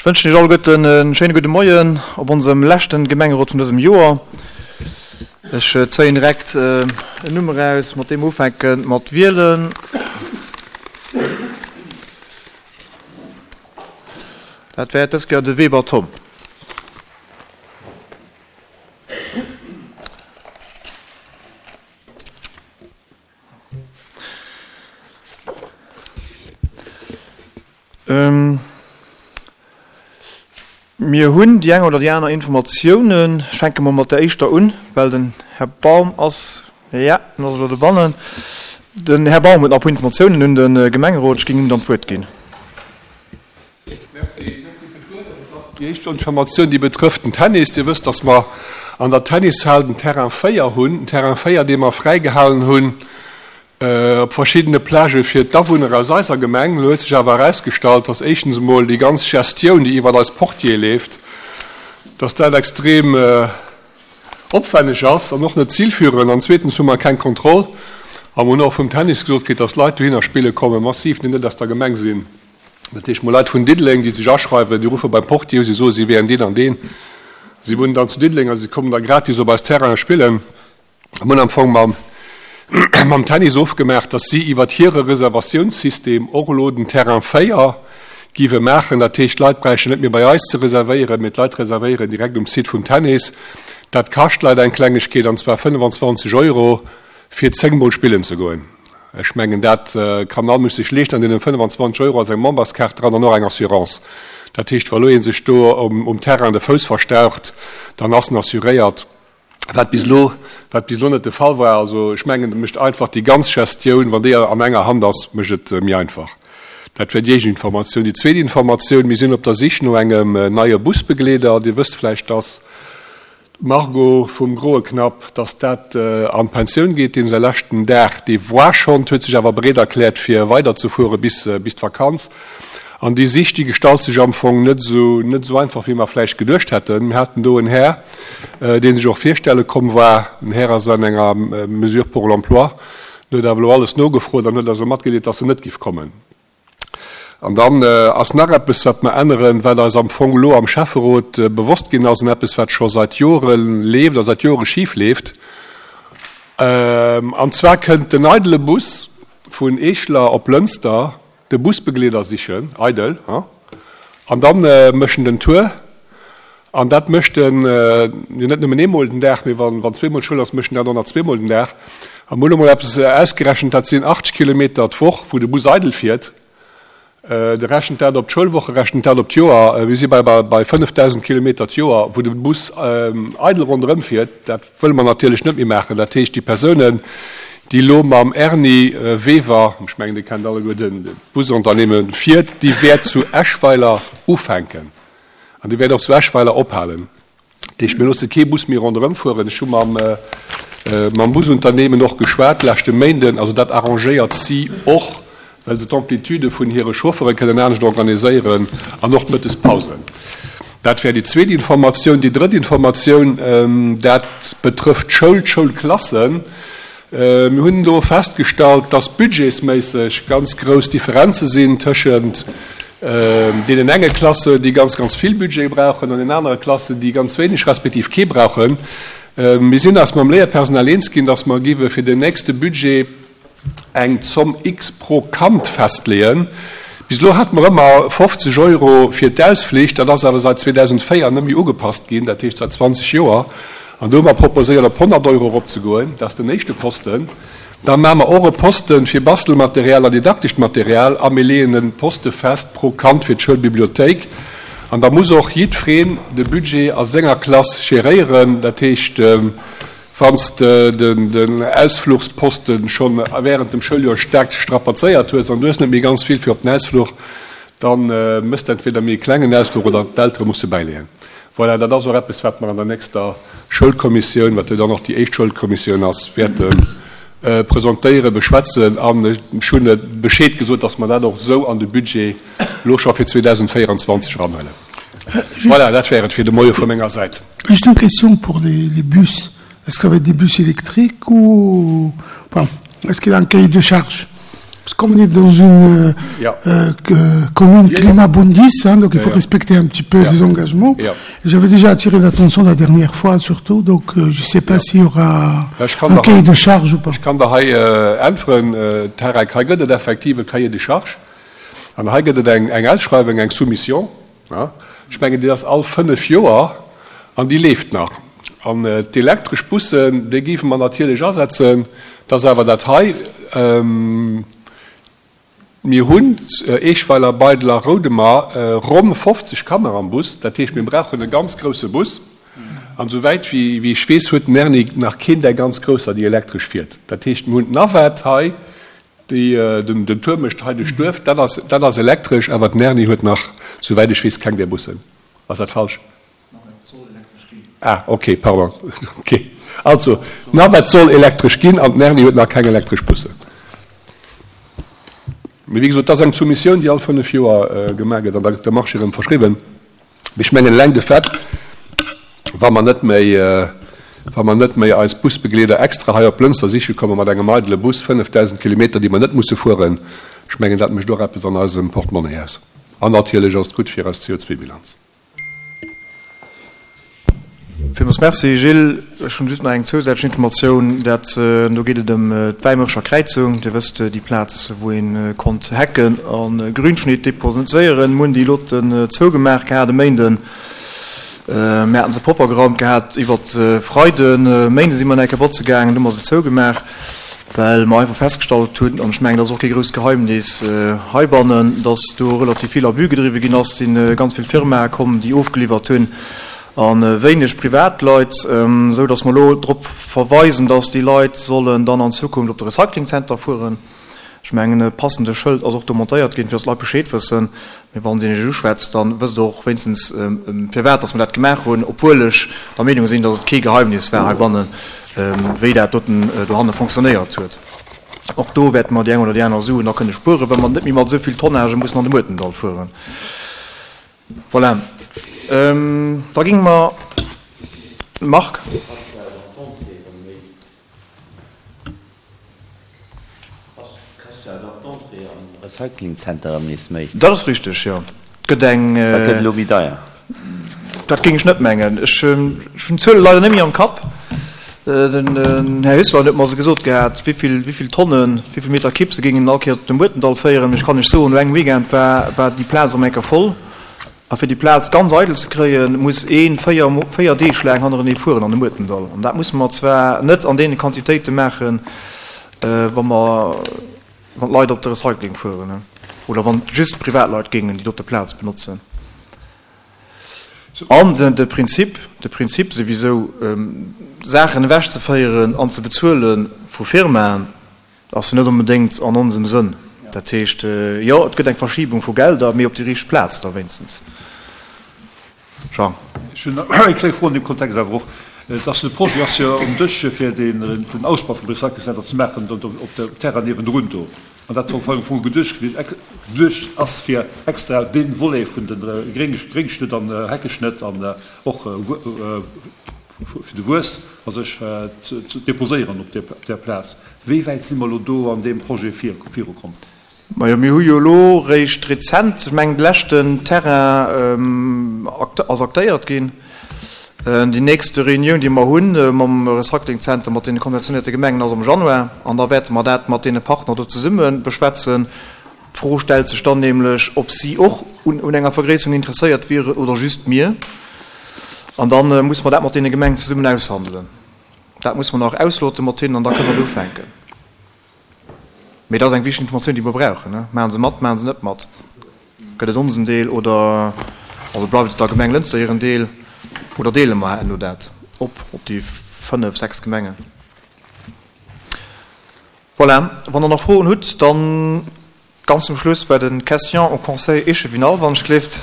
Ech wënschen Iech alleguerten e schéine gudde Moien op onsem leschten Gemengerot vun dësem Joer. Ech zéien direkt en Numm eraus, mat deem mer ufänke mat wielen. Dat wäert dës Kéier de Weber Tom. Mir hunn déi eng oder déi aner Informatiounen. Ech fänke mol mat der éischter un, well den Här Baum ass, jo, en ass elo dobannen. Den Här Baum huet nach e puer Informatiounen un de Gemengerot. Ech géing him dann d'Wuert ginn. Merci, merci fir d'Wuert. Also et ass déi éischt Informatioun, déi betrëfft den Tennis. Dir wësst, dass mer an der Tennishal den Terrain 4 hunn, den Terrain 4, dee mer fräigehalen hunn op verschiddene Plagë fir d'Awunner aus eiser Gemeng. Elo huet sech awer erausgestallt, dass éischtens emol déi ganz Gestioun, déi iwwert eis Portiere leeft, dass dat extrem opwenneg ass an och net zilführend. An zweetens hu mer keng Kontroll a mer hunn och vum Tennis gesot kritt, dass Leit dohinner spille komme massiv, déi net aus der Gemeng sinn. Dat heescht, mol Leit vun Diddeleng, déi sech aschreiwen, déi ruffe beim Portier u, si soe si wären deen an deen, si wunnen dann zu Diddeleng a si kommen da gratis op eis Terraine spillen. Mir hunn am Fong mam, mam Tennis ofgemaach, datt si iwwert hire Reservatiounssystem och elo den Terrain 4 géiwe maachen. Dat heescht, d'Leit bräichten net méi bei eis ze reservéieren, mee d'Leit reservéieren direkt um Site vum Tennis. Dat kascht d'Leit eng Klengegkeet, an zwar 25 Euro fir zéngmol spillen ze goen. Ech mengen, dat kann all Mënsch sech leeschten. An deenen 25 Euro ass eng Memberskaart dran an och eng Assurance. Dat heescht, wa lo ee sech do um Terrain de Fouss verstaucht, dann ass en assuréiert, wat bis elo, wat bis elo net de Fall war. Also ech mengen, et mécht einfach déi ganz Gestioun, wann déi an enger Hand ass, mécht et méi einfach. Dat wär déi éischt Informatioun. Déi zweet Informatioun, Mir sinn op der Sich no engem neie Busbegleeder. Dir wësst vläicht, dass D'Margot vum Groe Knapp, dass dat an d'Pensioun geet, deem säi leschten Dag, dee war schonn, huet sech awer bereet erkläert fir weiderzefuere bis bis d'Vakanz. An déi Sich, déi gestalt sech am Fong net esou net esou einfach, wéi mer vläicht geduecht hätten. Mir haten do en Här, dee sech och virstelle komm war. Den Här ass an enger Mesure pour l'emploi, en huet awer elo alles nogefrot an huet eis elo matgedeelt, dass en net giff kommen. An dann ass nach eppes, wat mer änneren, wat eis am Fong elo am Schäfferot bewosst ginn ass, an eppes, wat scho seit Jore leeft a seit Jore schif leeft. An zwar kënnt den eidele Bus vun Eeschler op Lënster de Busbegleeder sichen, eidel, hein, an da mécht en den Tour. An dat mécht en jo net nëmmen eemol den Dag, mee wann zweemol Schoul ass, mécht en dat och nach zweemol den Dag. A mir hunn emol eppes ausgerechent, dat sinn 80 Kilometer d'Woch, wou de Bus eidel fiert. De rechent dat op d'Schoulwoche, rechent dat op d'Joer. Mir si bei bei 5.000 Kilometer d'Joer, wou de Bus eidel ronderëm fiert. Dat wëlle mer natierlech net méi maachen. Dat heescht, déi Persounen, déi elo mam Erny Wever, ech mengen, Dir kennt alleguer den Busunternehmen, fiert, déi wäert zu Eschweiler ufänken. An déi wäert och zu Eschweiler ophalen. Dat heescht, mir loosse kee Bus méi ronderëm fueren. Ech hu mam, mam Busunternehmen och geschwat leschte Méinden. Also dat arrangéiert si och, well se d'Amplitude vun hire Chauffeure kënnen anescht organiséieren an och d'Mëttespausen. Dat wär déi zweet Informatioun. Déi drëtt Informatioun, dat betrëfft d'Schoul, d'Schoulklassen. Mir hunn do festgestallt, dass budgetsméisseg ganz grouss Differenze sinn tëschent deenen enge Klassen, déi ganz, ganz vill Budget brauchen, an den anere Klassen, déi ganz wéineg respektiv kee brauchen. Mir sinn eis mam Léierpersonal eens ginn, dass mer géiwe fir den nächste Budget eng Zomm X pro Kand festleeën. Bis elo hate mer ëmmer 50 Euro fir d'Ausflich, dat ass awer seit 2004 net méi ugepasst ginn, dat heescht seit 20 Joer. An do hu mer proposéiert, op 100 Euro eropzegoen. Dat ass den éischte Posten. Da maache mer och e Posten fir Bastelmaterial an didaktescht Material a mir leeën e Poste fest pro Kand fir d'Schoulbibliothéik. An da muss och jiddwereen de Budget a senger Klass geréieren. Dat heescht, wann s de den Ausfluchsposte scho während dem Schouljoer staark strapazéiert hues an du hues net méi ganz vill fir op den Ausfluch, da mëss de entweder méi e klengen Ausfluch oder d'Eltere musse bäileeën. Voilà, dat ass och eppes, wat mer an der nächster Schoulkommissioun, wat jo dann och déi éischt Schoulkommissioun ass, wäerte presentéieren, beschwätzen. An ech hunn Bescheed gesot, dass mer dat och esou an de Budget elo scho fir 2024 eranhuelen. Voilà, dat wär et fir de Moie vu menger Säit. Juste une question pour les, les bus. Est-ce que ça va être des bus électriques ou... Bon, est-ce qu'il y a un cahier de charge? Parce qu'on est dans une ja. euh, commune ja, Klimabundis, hein, donc il faut ja, respecter un petit peu ja. les engagements. Ja. J'avais déjà attiré l'attention la dernière fois surtout, donc euh, je ne sais pas ja. s'il y aura ja, un cahier de charge ou pas. Ech kann der hei äh, äntweren, äh, Tarek, hei gëtt et effektiv e Cahier de charge. An hei gëtt et eng, eng Ausschreiwung, eng Soumission. Ja. Ech mengen, déi ass all fënnef Joer an déi leeft nach. An äh, d'elektresch Bussen, déi géife mer natierlech asetzen. Dat ass awer dat hei. Ähm, mir hunn Eechweiler, Beidel a Roudemer ronn 50 Kanner am Bus. Dat heescht, mir brauchen e ganz grousse Bus. An esouwäit wéi ech weess, huet den Erni nach keen där ganz grousser, déi elektresch fiert. Dat heescht, mir hunn d'Navette hei, déi den Tour mécht hei duerch d'Duerf, dat ass, dat ass elektresch, awer den Erni huet nach, souwäit ech weess, keng där Bussen. Ass dat falsch? Ah, ok, pardon. Ok. Also, d'Navette soll elektresch ginn an den Erni huet nach keng elektresch Bussen. Mee wéi gesot, dat ass eng Soumissioun, déi all fënnef Joer gemaach gëtt an da gëtt de Marché erëm verschriwwen. Mee ech mengen, eleng de Fait, wa mer net méi, wa mer net méi eis Busbegleeder extra hei op Lënster siche komme mat engem eidele Bus, 5.000 Kilometer, déi mer net musse fueren, ech mengen, dat mécht och eppes an eisem Portemonnaie aus. An natierlech ass et gutt fir eis CO2-Bilanz. Villmools Merci, Gilles. Ech hunn just nach eng zousätzlech Informatioun. Dat, do geet et ëm d'Wäimerscher Kräizung. Dir wësst, déi Plaz, wou ee konnt Hecken a Grünschnitt deposéieren. Mir hunn déi loten zougemaach gehat e Méinden. Mir haten se propper geraumt gehat iwwert Freiden. Méinde si mer nach eng Kéier botze gaangen, du hu mer se zougemaach, well mer einfach festgestallt hunn, an ech mengen, dat ass och kee grousst Geheimnis heibannen, dass do relativ vill Abus gedriwwe ginn ass. Et si ganz vill Firmae komm, déi ofgeliwwert hunn a wéineg Privatleit, esou dass mer elo drop verweisen, dass déi Leit sollen dann an Zukunft op de Recyclingzenter fueren. Ech mengen, e passende Schëld ass och do montéiert ginn, fir dass d'Leit Bescheed wëssen. Mee wa een iech uschwätzt, da wësst Der och wéinstens, firwat dass mer dat gemaach hunn, obwuel ech der Meenung sinn, dass et kee Geheimnis war heibannen, wéi dat doten dohanne fonctionnéiert huet. Och do wäerte mer déi eng oder déi aner Suen da kënne spueren, well mer net méi mat esou vill Tonnagë mussen an de Muertendall fueren. Voilà. Da géinge mer, Marc? Kascht jo awer och d'Entrée am Recycling Center erëm nees méi. Dat ass richteg, jo. Et gëtt eng. Dat gëtt elo méi deier. Dat géing ech net mengen. Ech hunn d'Zuele leider net méi am Kapp. Den Här Hüssler huet mer se gesot gehat, wéivill, wéivill Tonnen, wéivill Meter Kipp se géingen all Kéiers op de Muertendall féieren. Mee ech kann lech soen, no engem Weekend war, war déi Plaz erëm eng Kéier voll. A fir déi Plaz ganz eidel ze kréien, muss ee 4 Deeg laang hannerenee fueren an de Muertendall. An dat musse mer zwar net an deene Quantitéite maachen, wa mer, wann d'Leit op de Recycling fueren oder wann just Privatleit géingen déi dote Plaz benotzen. An de Prinzip, de Prinzip souwisou, Saachen ewechzeféieren an ze bezuele vu Firmaen, Ass jo net onbedéngt an onsem Sënn. Dat heescht, jo, et gëtt eng Verschibung vu Gelder, mee op déi richteg Plaz da wéinstens. Jean. Ech hunn eng kleng Fro an deem Kontext awer och. Et ass, de Projet ass jo um Dësch, fir den Ausbau vum Recyclingcenter ze maachen do op dem Terrain niewendrun do. An dat war am Fong geduecht gewiescht, geduecht ass, fir extra dee Volet vun de Gréngschnëtt an Heckeschnëtt an och fir de Wuess a sech ze deposéieren op där Plaz. Wéi wäit si mer elo do an deem Projet virukomm? Majo, mir hu jo elo réischt rezent, ech mengen de leschten Terrain ass aktéiert ginn. Déi nächste Reunioun, déi mer hu mam Recyclingzenter, mat deene konventionéierte Gemengen, ass am Januar. An da wäerte mer dat mat deene Partner do zesumme beschwätzen. D'Fro stellt sech dann nämlech, ob si och un enger Vergréisserung interesséiert wieren oder just mir. An da musse mer dat mat deene Gemengen zesummen aushandelen. Dat musse mer nach auslote mat hinnen an da kënne mer ufänken. Mee dat ass eng wichteg Informatioun, déi mer brauchen. Maache se mat, maache se net mat? Gëtt et onsen Deel oder also bleift et der Gemeng Lënster hiren Deel oder deele mer herno dat op op déi fënnef, sechs Gemengen? Voilà, wann Der nach Froen hutt, dann ganz zum Schluss bei de Questions au Conseil échevinal, wann ech gleeft.